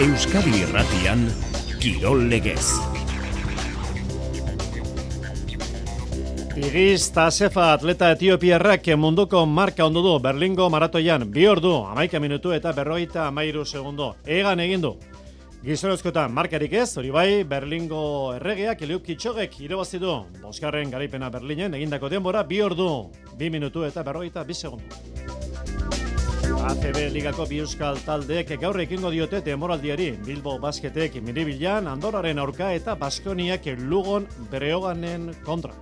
Euskadi Irratian, Kirol Legez. Igiz Tasefa atleta etiopiarrak munduko marka ondu du Berlingo maratoian 2 ordu, 11 minutu eta 53 segundo. Egan egin du. Gizonezkoetan markarik ez, hori bai, Berlingo erregeak Eliud Kipchogek irabazi du. 5. garaipena Berlinen egindako denbora 2 ordu, 2 minutu eta 52 segundo. ACB Ligako bi euskal taldeek gaur ekingo diote denboraldiari. Bilbo Basketek Miribilan, Andorraren aurka eta Baskoniak Lugon Breoganen kontra.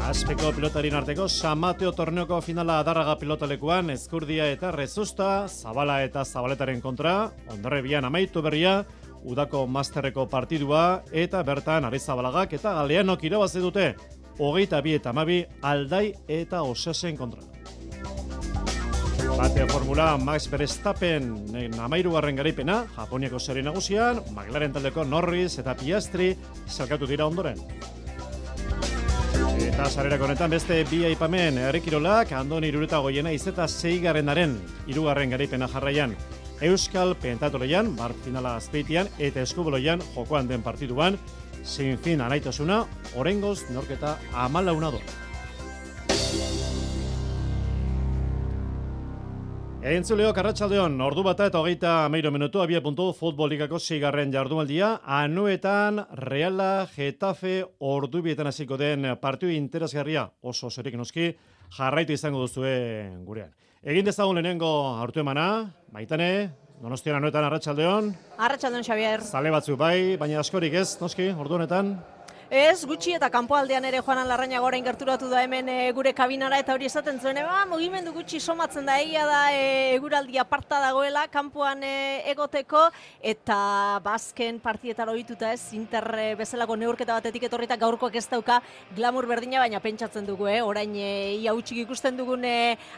Azpeko pilotarien arteko San Mateo torneoko finala Adarraga pilotalekuan Ezkurdia eta Rezusta, Zabala eta Zabaletaren kontra, Hondarribian amaitu berria, udako masterreko partidua eta bertan Arizabalagak eta Galeanok irabazi dute 22 eta 12 Aldai eta Osasen kontra. Bate formula Max Verstappen 13. garaipena, Japoniako seri nagusian, McLaren taldeko Norris eta Piastri salkatu dira ondoren. Eta sarerako honetan beste bi aipamen herrikirolak, Andoni Iruretagoiena izeta 6. 3. garaipena jarraian. Euskal Pentatloian, bart finala Azpeitian eta eskuboloian jokoan den partiduan, sin fin anaitasuna, oraingoz norketa 14 do. Entzuleok arratsaldeon, ordu bata eta 33 minutu abia.du Futbol Ligako 6. jardunaldia, Anoetan Reala Getafe ordubietan hasiko den partidu interesgarria oso zerik noski jarraitu izango duzue gurean. Egin dezagun lehenengo hartu emana, Maitane, Donostian Anoetan arratsaldeon. Arratsaldeon Xabier. Zale batzu bai, baina askorik ez, noski, ordu honetan. Ez, gutxi eta kanpoaldean ere Juanan Larrañaga orain gerturatu da hemen gure kabinara eta hori esaten zuen, mugimendu gutxi somatzen da, egia da eguraldi aparta dagoela kanpoan egoteko eta bazken partidetara ohituta ez, Inter bezalako neurketa batetik etorrita gaurkoak ez dauka glamour berdina, baina pentsatzen dugu, orain ia hutsik ikusten dugun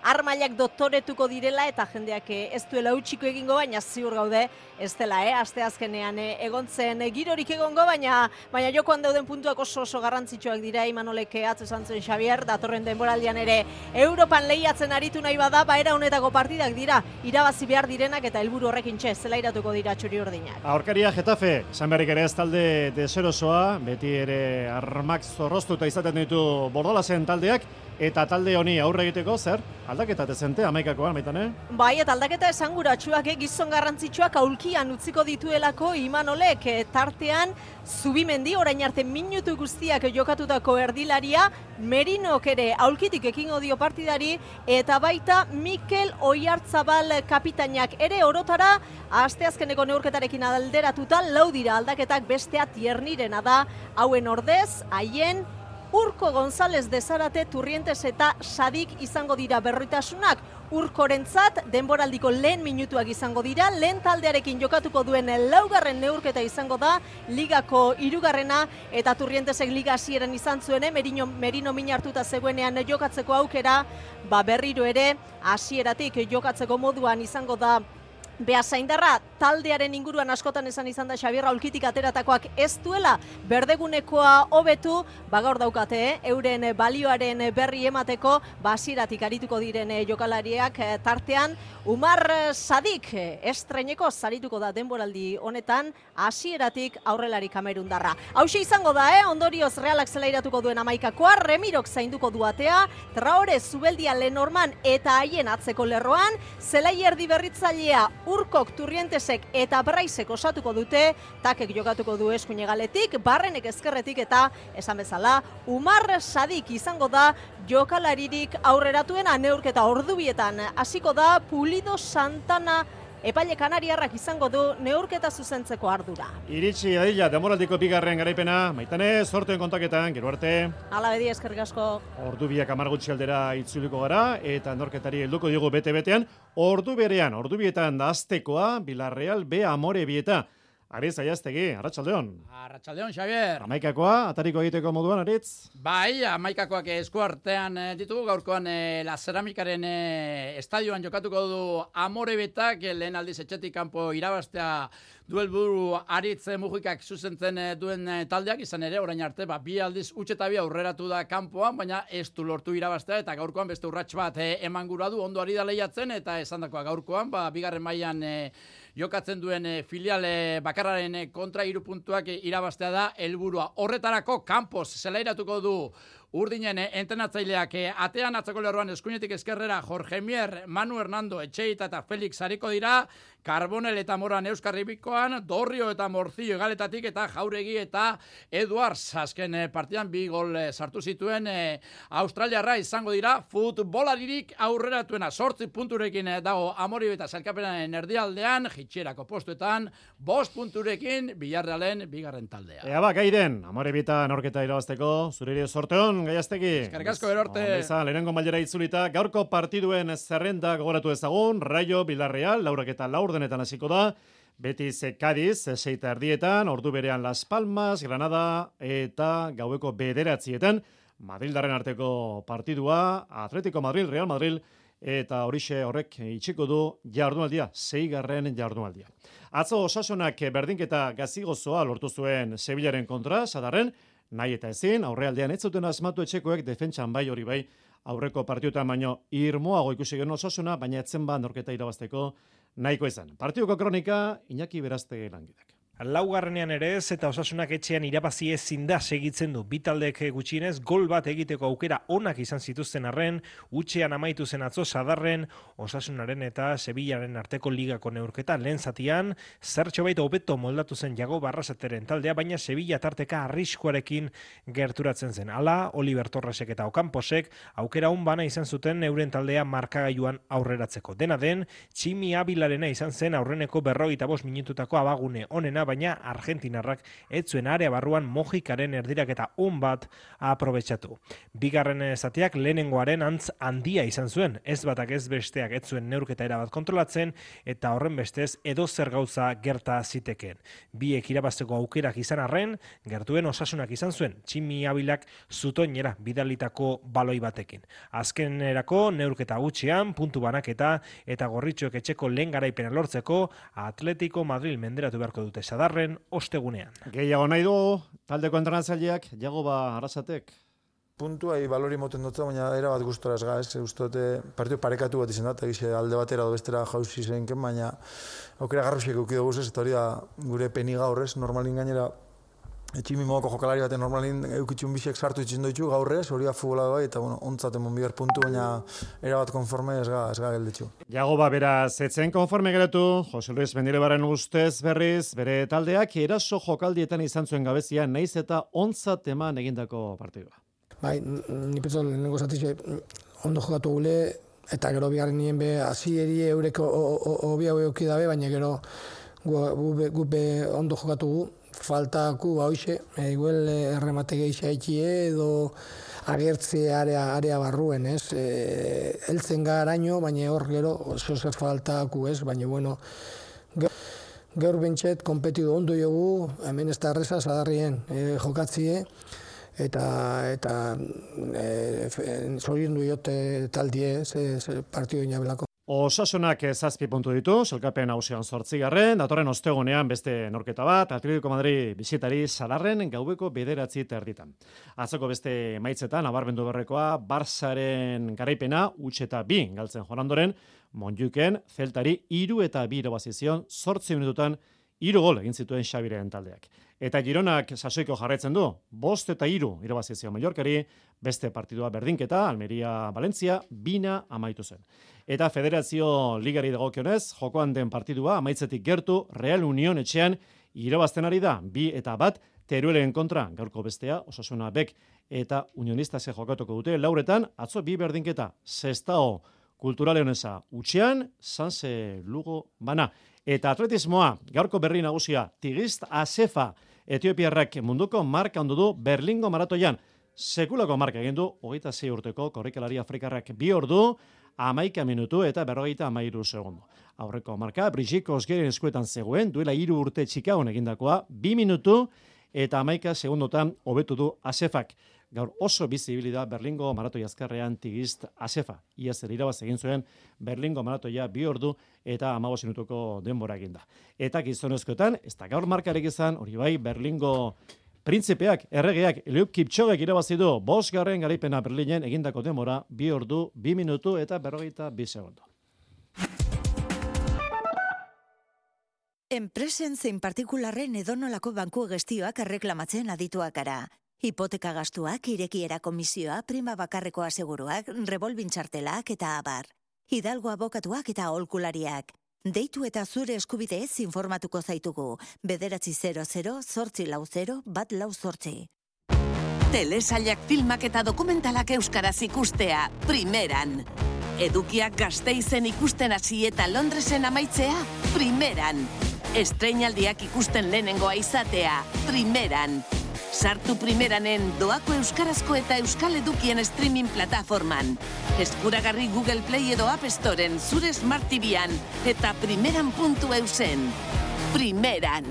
armailak doktoretuko direla eta jendeak ez duela hutsiko egingo, baina ziur gaude ez dela, asteazkenean egontzen girorik egongo, baina jokoan dauden puntuak oso garrantzitsuak dira. Imanolek atzo esan zuen Xabier, datorren denboraldian ere Europan lehiatzen aritu nahi bada, era honetako partidak dira, irabazi behar direnak eta helburu horrekin zelairatuko dira txuri-urdinak. Aurkaria Getafe, esan beharrik ere ez talde deserosoa, beti ere armak zorroztuta izaten ditu Bordalasen taldeak, eta talde honi aurre egiteko, zer? Aldaketa dezente, 11koan, Maitane? Bai, eta aldaketa esanguratsuak, gizon garrantzitsuak aulkian utziko dituelako Imanolek, tartean Zubimendi, orain arte minutu guztiak jokatutako erdilaria, Merinok ere aulkitik ekingo dio partidari, eta baita Mikel Oiartzabal kapitainak ere orotara, asteazkeneko neurketarekin alderatuta, 4 dira aldaketak, bestea Tiernirena da, hauen ordez, haien Urko González de Zarate, Turrientes eta Sadik izango dira berritasunak. Urkorentzat denboraldiko lehen minutuak izango dira, lehen taldearekin jokatuko duen 4. neurketa izango da, ligako 3. eta Turrientesek liga hasieran izan zuen, Merino min hartuta zegoenean jokatzeko aukera, berriro ere hasieratik jokatzeko moduan izango da Beasaindarra. Taldearen inguruan askotan izan da Xabier aulkitik ateratakoak ez duela berdegunekoa hobetu, gaur daukate, euren balioaren berri emateko, hasieratik arituko diren jokalariak tartean, Umar Sadik estreineko zarituko da denboraldi honetan, hasieratik aurrelari kamerundarra. Hauxe izango da, ondorioz Realak zelairatuko duen 11koa, Remirok zainduko duatea, Traore, Zubeldia, Lenorman eta haien atzeko lerroan, zelai erdi berritzailea Urkok, Turrientesek eta Braisek osatuko dute, Takek jokatuko du eskuinegaletik, Barrenek ezkerretik eta esan bezala, Umar Sadik izango da jokalaririk aurreratuena. Neurketa ordubietan hasiko da, Pulido Santana epaile kanariarrak izango du neurketa zuzentzeko ardura. Iritsi adila, demoraldiko 2. garaipena, Maitane, zortuen kontaketan, gero arte. Hala bedi, eskerrik asko. Ordu biak 10 gutxi aldera itzuliko gara, eta norketari helduko diogu bete-betean, ordu berean, ordu bietan da aztekoa, Villarreal B Amore bieta. Aritz Aiaztegi, arratsaldeon. Arratsaldeon, Xabier. 11koa, atariko egiteko moduan, Aritz? Bai, 11koak esku artean ditugu, gaurkoan La Ceramikaren estadioan jokatuko du Amore betak, lehen aldiz etxetik kanpo irabaztea duelburu Aritz Mujikak zuzentzen duen taldeak, izan ere, orain arte, bi aldiz utxe eta bi aurreratu da kanpoan, baina ez du lortu irabaztea, eta gaurkoan beste urrats bat eman gura du, ondo ari da lehiatzen, eta esandakoa gaurkoan, bigarren mailan jokatzen duen filial bakarraren kontra 3 puntuak irabaztea da helburua. Horretarako kanpoz zelairatuko du Urdinen entrenatzaileak atean atzeko lerroan eskuinetik eskerrera Jorge Mier, Manu Hernando, Etxeita eta Felix hariko dira, Carbonel eta Moran Euskarribikoan, Dorrio eta Morcillo egaletatik eta Jauregi eta Eduards azken partidan 2 gol sartu zituen Australiarra izango dira futbolaririk aurreratuena 8 punturekin dago Amoribe eta sailkapenaren erdialdean, jitxerako postuetan 5 punturekin Villarrealen bigarren taldea. Ea gairen, Amoribita norketa irabazteko, zuriri sorteon, Gaiastegi. Eskerrik asko Erorte. Lehenengo mailera itzulita, gaurko partiduen zerrenda gogoratu ezagun, Rayo Villarreal, 4:04 hasiko da, Betis Cádiz, 6:30, ordu berean Las Palmas, Granada eta gaueko 9:00 Madrildarren arteko partidua, Atletico Madrid, Real Madrid, eta horixe horrek itxiko du jardunaldia, 6. jardunaldia. Atzo Osasunak berdinketa gazigozoa lortu zuen Sevillaren kontra, Sadarren, nahi eta ezin, aurrealdean ez zuten asmatu etxekoek defentsan bai hori bai, aurreko partioetan baino irmoago ikusi genuen Osasuna, baina etzen norketa irabazteko nahiko izan. Partiduko kronika, Iñaki Berazte langidak. Laugarrenean ere ez eta Osasunak etxean irabazi ezin da segitzen du. Bi taldek gutxienez gol bat egiteko aukera onak izan zituzten arren, utxean amaitu zen atzo Sadarren, Osasunaren eta Sevillaren arteko ligako neurketa lehen zatian, zertxo baita hobeto moldatu zen Jago Barrasateren taldea, baina Sevilla tarteka arriskuarekin gerturatzen zen. Hala, Oliver Torresek eta Okamposek aukera on bana izan zuten euren taldea markagailuan aurreratzeko. Dena den, Tximi Abilarena izan zen aurreneko 45 minututako abagune onena, baina argentinarrak ez zuen area barruan Mojikaren erdiraketa on bat aprobetxatu. Bigarren zatiak lehenengoaren antz handia izan zuen, ez batak ez besteak ez zuen neurketa erabat kontrolatzen, eta horren bestez edozer gauza gerta zitekeen. Biek irabazteko aukerak izan arren, gertuen Osasunak izan zuen, Tximi Abilak zutoinera bidalitako baloi batekin. Azkenerako neurketa gutxian, puntu banaketa eta gorritxoek etxeko lehen garaipena lortzeko, Atletico Madrid menderatu beharko dute Sadarren ostegunean. Gehiago nahi du, taldeko entrenatzaileak, Jagoba Arrasatek. Puntua balori moten dutza, baina era bat gustora ez gaz, uste partidu parekatu bat izan da, eta alde batera do bestera jauzi zenken, baina aukera garrusiek eukido guzez, eta hori da gure peni gaurrez, normalin gainera Tximi mogoko jokalari baten normalin eukitxun bisek sartu itxin doitxu gaurrez, hori da futbola bai, eta ontzaten monbiar puntu, baina erabat konforme ez ga gelditxu. Jagoba beraz, etzen konforme geratu, Jose Luis Mendilebaren ustez berriz, bere taldeak eraso jokaldietan izan zuen gabezia, naiz eta ontzat eman egindako partidua. Bai, ni pentsa lehenengo zatitxe ondo jokatu gule, eta gero bigarren nien be, hasieri eureko obia euki dabe, baina gero gu ondo jokatu gu, faltaku hoxe, igual erremate geixa etxie edo agertze area barruen, ez? Heltzen garaino, baina hor gero oso zer faltaku, ez? Baina bueno, gaur bentset konpetidu ondo jogu, hemen ez da erreza Sadarrien jokatzie, eta zoriondu jote taldie, partidu inabelako. Osasunak 7 puntu ditu, sailkapen nagusian 8. Datorren ostegunean beste norketa bat, Atletico Madrid bisitari Sadarren gaueko 9:30. Atzoko beste emaitzetan nabarmendu berrekoa, Barsaren garaipena huts eta 2 galtzen joan ondoren, Montjuiken Celtari 3 eta 2 irabazizion 8 minututan 3 gol egin zituen Xabiren taldeak. Eta Gironak sasoiko jarraitzen du, 5 eta 3 irabazizion Mallorcari, beste partidua berdinketa, Almeria Valencia 2 amaitu zen. Eta Federazio Ligari dagokionez, jokoan den partidua amaitzetik gertu Real Union etxean irabazten ari da, 2 eta 1 Teruelen kontra, gaurko bestea, Osasuna Bek eta Unionistase jokatuko dute, lauretan, atzo 2 berdinketa, Sestao Kultura Leonesa utxean, Sanse Lugo bana. Eta atletismoa, gaurko berri nagusia, Tigist Asefa, Etiopiarrak munduko marka ondu du Berlingo maratoian. Sekulako marka egin du, 26 urteko korrikalari afrikarrak 2 ordu, 11 minutu eta 53 segundo. Aurreko marka, Brigitte Kosgeren eskuetan zegoen, duela 3 urte Chicagon egindakoa, 2 minutu eta 11 segundotan hobetu du Asefak. gaur oso bizibili da Berlingo maratoi azkarrean Tigist Asefa. Iaz ere irabaz egin zuen Berlingo maratoia 2 ordu eta 15 minutuko denbora egin da. Eta gizonezkoetan, ez da gaur markarek izan, hori bai, Berlingo printzipeak, erregeak, Eliud Kipchogek irabazi du 5. garaipena Berlinen egindako denbora 2 ordu, 2 minutu eta 42 segundo. Enpresen zein partikularren edonolako banku gestioak erreklamatzen adituak gara. Hipoteka gastuak, irekiera komisioa, prima bakarreko aseguruak, revolvin txartelak eta abar. Hidalgo abokatuak eta aholkulariak. Deitu eta zure eskubideez informatuko zaitugu. 900-840-148. Telesailak filmak eta dokumentalak euskaraz ikustea, primeran. Edukiak Gasteizen ikusten hasi eta Londresen amaitzea, primeran. Estreinaldiak ikusten lehenengoa izatea, primeran. Sartu primeranen doako euskarazko eta euskal edukien streaming plataforman. Eskuragarri Google Play edo App Storen zure Smart TV-an eta primeran.eusen. Primeran.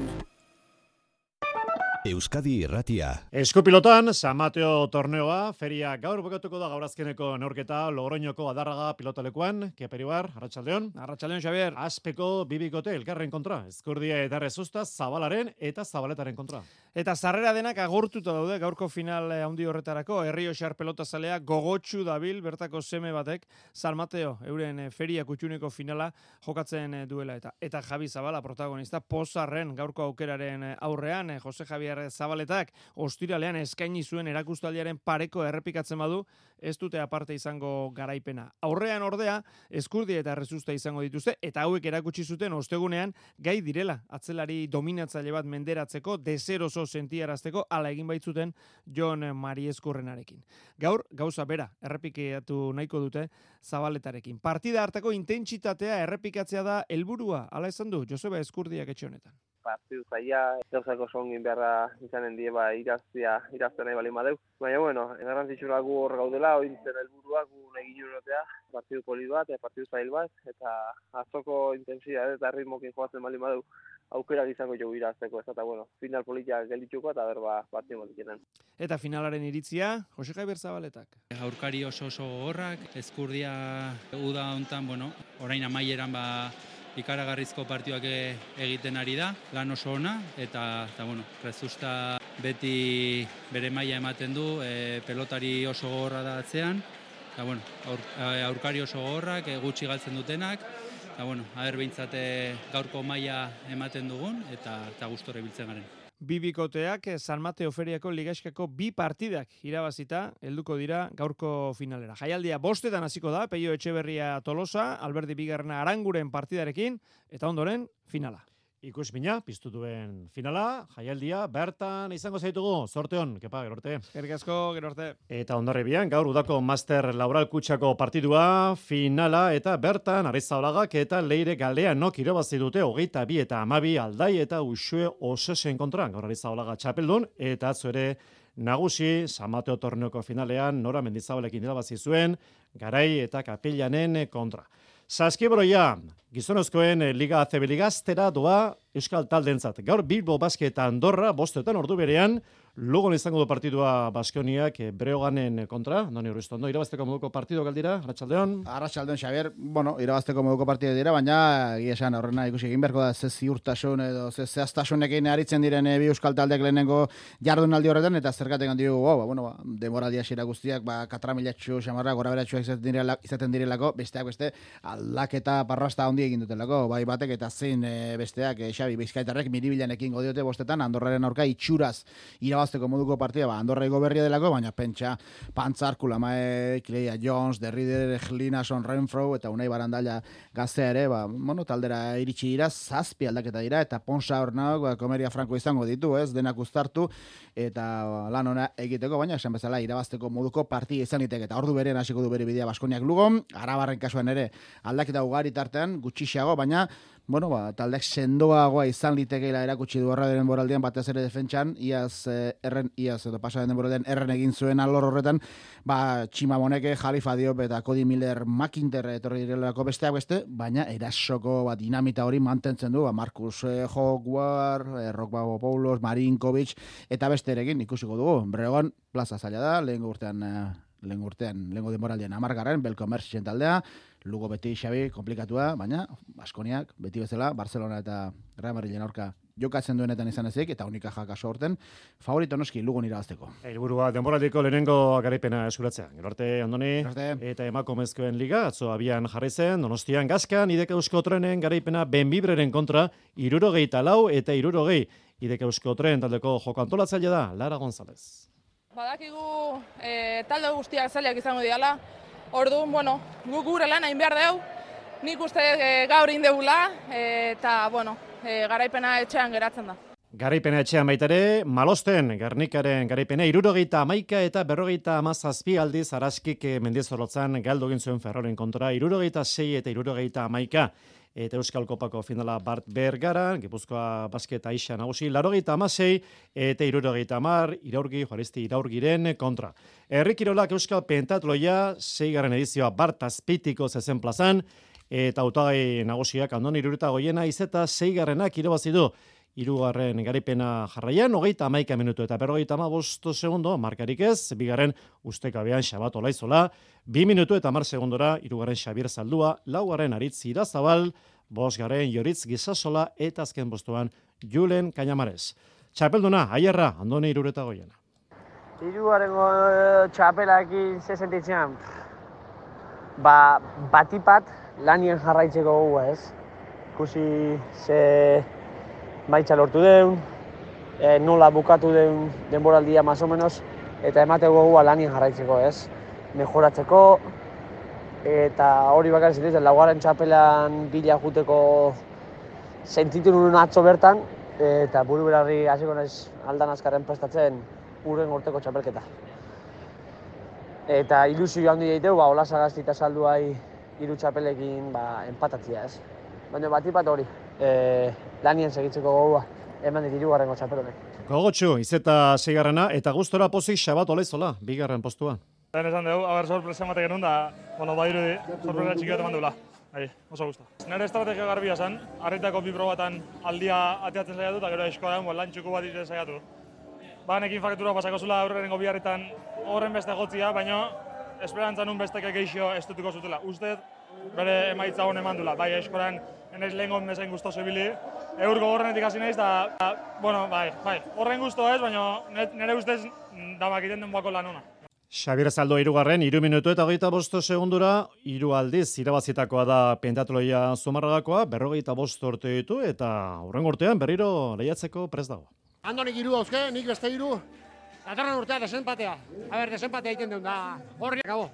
Euskadi Irratia. Eskupilotan, San Mateo torneoa, feria gaur bukatuko da gaur azkeneko neurketa Logroñoko Adarraga pilotalekuan, Keperibar, Arratsaldeon. Arratsaldeon, Xabier. Azpeko bibikote elkarren kontra, Ezkurdia eta Rezusta Zabalaren eta Zabaletaren kontra. Eta sarrera denak agortuta daude gaurko final handi horretarako, Herrioxar pelotazalea gogotsu dabil bertako seme batek, San Mateo euren feria kutxuneko finala jokatzen duela eta Javi Zabala protagonista pozarren gaurko aukeraren aurrean, Jose Javier Zabaletak ostiralean eskaini zuen erakustaldiaren pareko errepikatzen badu, ez dute aparte izango garaipena. Aurrean ordea, Ezkurdia eta Rezusta izango dituzte, eta hauek erakutsi zuten ostegunean gai direla, atzelari dominatzaile bat menderatzeko, deseroso sentiarazteko, ala egin baitzuten Jon Marieskurrenarekin. Gaur, gauza bera, errepikatu nahiko dute Zabaletarekin. Partida hartako intentsitatea errepikatzea da helburua, ala esan du Joseba Ezkurdiak etxe honetan. Partidu zaila, gauzako songin beharra izanen die irazten nahi balin badeu. Baina, bueno, garrantzitsura gu hor gaudela, ointzen helburua gu nahi ginurotea, partidu polit bat, partidu zail bat, eta atzoko intensidade eta ritmokin joatzen balin badeu, aukera izango jo irazteko, eta bueno, final politia geldituko eta berba partidu bat. Eta finalaren iritzia, Jose Javier Zabaletak. Aurkari oso gogorrak, Ezkurdia uda hontan, bueno, orain amaieran ikaragarrizko partioak egiten ari da, lan oso ona, eta bueno, Rezusta beti bere maila ematen du, pelotari oso gogorra da atzean, eta bueno, aurkari oso gogorrak, gutxi galtzen dutenak, eta bueno, behintzat gaurko maila ematen dugun, eta gustora ibiltzen garen. Bibikoteak San Mateo feriako ligaiskako 2 partidak irabazita helduko dira gaurko finalera. Jaialdia 5 hasiko da, Peio Etxeberria Tolosa, Alberdi Bigarna Aranguren partidarekin, eta ondoren finala. Ikusmina, piztu duen finala, jaialdia, bertan izango zaitugu, sorteon, kepa, gero arte. Eskerrik asko, gero arte. Eta ondarribian, gaur udako Master Laboral Kutxako partidua, finala, eta bertan, Arizaolagak eta Leire Galdeanok irabazi dute 22 eta 12 Aldai eta Uxue Osesen kontra. Gaur Arizaolaga txapeldun, eta atzo ere nagusi, San Mateo torneoko finalean, Nora Mendizabalekin irabazi zuen, Garai eta Kapillanen kontra. Saskibroia, gizonezkoen Liga ACB Ligaztera doa Euskal Taldentzat. Gaur Bilbo Basket eta Andorra, 5 ordu berean, Lugon izango du partidua Baskoniak Breoganen kontra. Andoni Urriztondo, irabazteko moduko partidu galdira, Arratsaldeon. Arratsaldeon, Xabier. Bueno, irabazteko moduko partidu dira, baina egia esan horrena ikusi egin beharko da ze ziurtasun edo ze zehaztasunekin aritzen diren bi Euskal Taldeak lehenengo jardunaldi horretan, eta zergatik handi dugu, denboraldi hasiera guztiak, katramilatxu, xamarra, goraberatxuak izaten direlako, besteak beste, aldaketa parrasta handi egin dutelako, bai batek eta zein besteak, Xabi Bizkaitarrek miribilanekin godiote 5 Andorraren aurka itxuraz irabazteko moduko partida, Andorra igo berria delako, baina pentsa Pantzarku, Lamae, Cleia Jones, Derrider, Linason, Renfro eta Unai Barandalla gaztea ere, taldera iritsi dira, 7 aldaketa dira, eta Ponsa hornak, Komeria Franco izango ditu, denak uztartu, eta lan ona egiteko, baina esan bezala irabazteko moduko partida izan liteke, eta ordu berean hasiko du bere bidea Baskoniak Lugon, Arabarren kasuan ere aldaketa ugari tartean, gutxiago, baina taldeak sendoagoa izan litekeela erakutsi du horra denboraldian, batez ere defentsan, iaz edo pasaren denboraldian erren egin zuen alor horretan, Txima Moneke, Jalifa Diop eta Cody Miller McIntyre etorri direlako besteak beste, baina erasoko dinamita hori mantentzen du, Marcus Hogwarts, Rockbago Paulos, Marinkovic, eta beste erekin ikusiko dugu. Bregon, plaza zaila da, lehengo denboraldian 10. Belko Mersitzen taldea, Lugo beti Xabi, komplikatua, baina Baskoniak, beti bezala, Barcelona eta Real Madrilen aurka jokatzen duenetan izan ezik, eta unika jakaso horten, favorito noski Lugon irabazteko. Helburua denboraldiko lehenengo garaipena eskuratzea. Gero arte, Andoni, eta emakumezkoen liga, atzo abian jarri zen, Donostian Gaskan, Idek Eusko Trenen garaipena Benbibreren kontra, 74 eta 60. Idek Eusko Tren taldeko joko antolatzailea da, Lara González. Badakigu talde guztiak zailak izango diala, orduan, guk gure lan hain behar deu, nik uste gaur indegula, eta, garaipena etxean geratzen da. Garaipena etxean baitare, Malosten, Gernikaren garaipena 71 eta 57 aldiz Araskik Mendizorrotzan galdu egin zuen Ferroren kontra, 76 eta 71. Eta Euskal Kopako finala Bart Bergaran, Gipuzkoa basket Aixa nagusi, 86 eta 70 Iraurgi, Juaristi Iraurgiren kontra. Herri Kirolak Euskal Pentatloia, 6. edizioa Bart Azpeitiko zezen plazan, eta hautagai nagusiak Andoni Iruretagoiena izeta 6. irabazi du. 3. garaipena jarraian, 31 minutu eta 55 segundo, markarik ez, 2. ustekabean Xabat Olaizola, 2 minutu eta 10 segundora, 3. Xabier Zaldua, 4. Aritz Irazabal, 5. Joritz Gizasola, eta azken postuan Julen Kañamares. Txapelduna, Aierra, Andoni Iruretagoiena. 3. txapelakin ze sentitzean, batipat lanien jarraitzeko gogoa ez. Ikusi ze maitza lortu deun, nola bukatu deun denboraldia más o menos, eta emateko gogoa lanien jarraitzeko ez. Mejoratzeko, eta hori bakar zintzen, 4. txapelan bila juteko sentitu nuen atzo bertan, eta buru berarri hasiko naiz aldan azkarren prestatzen urren urteko txapelketa. Eta ilusio handi daiteu, Olasagasti eta Salduai 3 txapelekin empatatzia ez. Baina batipat hori, lanien segitzeko gogoa, eman dit 3. txapelonek. Gogotxu, izeta 6. eta gustora pozik Xabat Olaizola, 2. postuan. Lehen esan dugu, sorpresa emate genuen da, badirudi, sorpresa txiki bat eman duela. Oso gusta. Nire estrategia garbia zen, harritako 2 probatan aldia ateatzen saiatu, eta gero eskoaren lan txuku bat ite saiatu. Banekin faktura pasako zula aurrengo biharretan horren beste gotzia, baina esperantza nun besteke geixo estutuko zutela. Ustez, bere emaitza hon eman dula. Bai, eskoran enaiz lehengon bezain guztu zebili. Eurko horrenetik hasi naiz, eta, horren guztu ez, baina nire ustez damakiten den bako lan ona. Xabier Zaldo 3. 3 minutu eta 25 segundura, 3 aldiz irabazitakoa da pentatloia Zumarragakoa, 45 urte ditu, eta hurrengo urtean berriro lehiatzeko prest dago. Andoni 3 dauzke, nik beste 3, datorren urtea desenpatea. Desenpatea egiten duen da, horri akabo.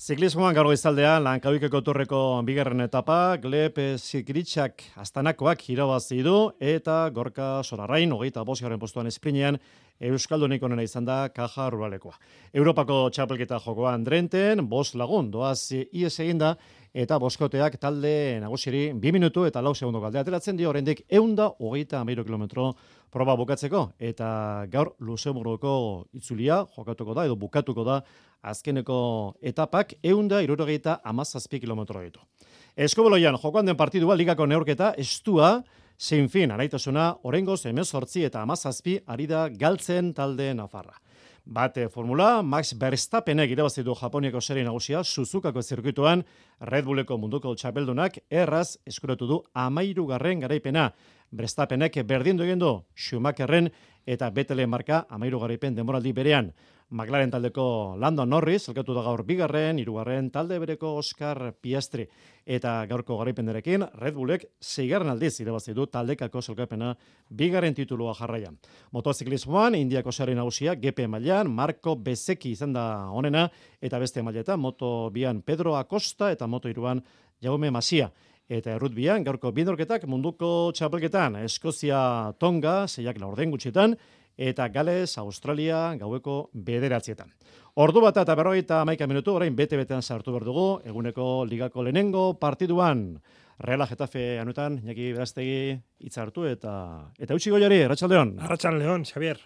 Ziklismoan gaur goizaldean Lankabikeko Torreko 2. etapa, Gleb Zikritxak Astanakoak irabazi du, eta Gorka Sorarrain 25. postuan esprinean Euskaldunik onena izan da Kaja Ruralekoa. Europako txapelketa jokoan Drenten, 5 lagun doaz ies eginda, eta boskoteak talde nagusiri 2 minutu eta 4 segundo galde ateratzen dio, oraindik 133 kilometro proba bukatzeko, eta gaur Luxemburgoko itzulia jokatuko da, edo bukatuko da azkeneko etapak 177 kilometro ditu. Eskubaloian jokoan den partidua ligako neurketa estua, zein fin, anaitasuna, orengoz 18 eta 17 ari da galtzen talde nafarra. Bate formula, Max Verstappenek irabazi du Japoniako serie nagusia Suzukako zirkuituan, Red Bulleko munduko txapeldunak erraz eskuratu du 13. garaipena. Verstappenek berdindu egin du Schumacherren eta Bettelen marka 13. garaipen denboraldi berean. McLaren taldeko Lando Norris, elkatu da gaur 2., 3. talde bereko Oscar Piastri. Eta gaurko garaipenderekin, Red Bullek 6. aldiz irabazi du taldekako sailkapena 2. titulua jarraian. Motoziklismoan, Indiako sari nagusia, GP mailan Marco Bezzecchi izan da onena, eta beste mailetan, Moto 2an Pedro Acosta eta Moto 3an Jaume Masia. Eta errutbian, gaurko bindorketak munduko txapelketan, Eskozia Tonga, 6 gutxietan, eta Gales, Australia, gaueko 9:00. Ordu bat eta 51 minutu, orain bete-betean sartu behar dugu, eguneko ligako lehenengo partiduan. Reala Getafe anuetan, Iñaki Berastegi hitza hartu eta utzi goiari, Arratsaldeon. Arratsaldeon, Xavier.